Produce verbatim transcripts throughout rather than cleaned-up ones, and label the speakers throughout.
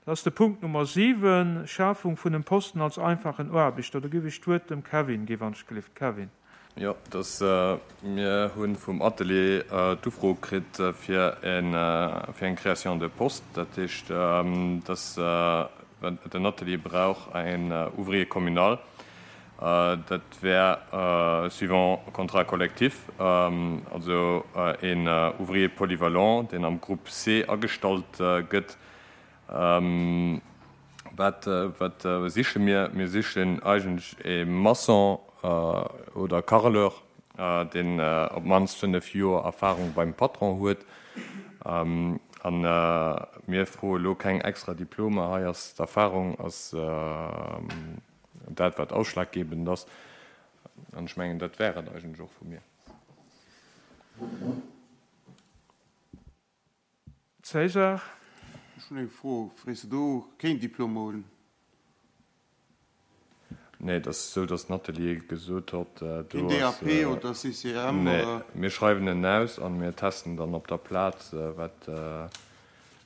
Speaker 1: Dat ass de Punkt Nummer siwen, Schafung vun dem Posten als einfachen Aarbechter. Do géif ech d'Wuert dem Kevin ginn, wann ech gelift. Kevin.
Speaker 2: Jo, dass mir hu vum Atelier d'Ufro kritt fir en fir eng Création de poste. Dat heescht, dass den Atelier brauch en Ouvrier communal. Dat wär suivant contrat collectif, also een Ouvrier polyvalent, deen am Groupe C agestallt gëtt. Wat wat siche mir? Mir sichen eigentlech e Maçon oder Carreleur, deen op d'mannst fënnef Joer Erfahrung beim Patron huet. An mir froe lo keng extra Diplomer. Hei ass d'Erfahrung ass dat, wat ausschlaggebend ass. An ech mengen, dat wär et eigentlech och vu mir.
Speaker 1: César.
Speaker 3: Ech hunn eng Fro. Frees de do keen Diplom hunn?
Speaker 2: Nee, et ass esou, datt den Atelier gesot huet, do
Speaker 3: Keen
Speaker 2: ass.
Speaker 3: D A P oder C C M
Speaker 2: Nee,
Speaker 3: oder?
Speaker 2: Mir schreiwen en aus a mir testen dann op der Plaz, wat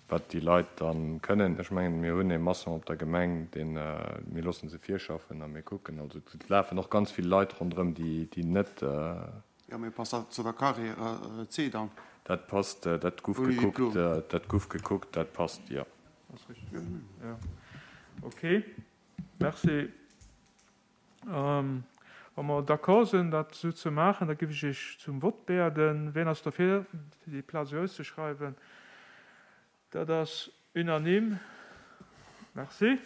Speaker 2: wat déi Leit dann kënnen. Ech mengen, mir hunn ee Maçon op der Gemeng, deen, mir loosse se virschaffen a mir kucken. Also et lafen och ganz vill Leit ronderëm, déi déi net.
Speaker 3: Jo, mee passt dat zu der Carrière C dann?
Speaker 2: Dat passt, dat guff
Speaker 3: Ouni
Speaker 2: gekuckt,
Speaker 3: Diplom?
Speaker 2: dat guff gekuckt, dat passt, jo.
Speaker 1: Ass richtig. Jo. Okay. Merci. Wa mer d'accord sinn, dat esou ze maachen, da géif ech Iech zum Vott bieden. Wien ass derfir, fir déi Plaz esou auszeschreiwen? Dat ass unanime. Merci.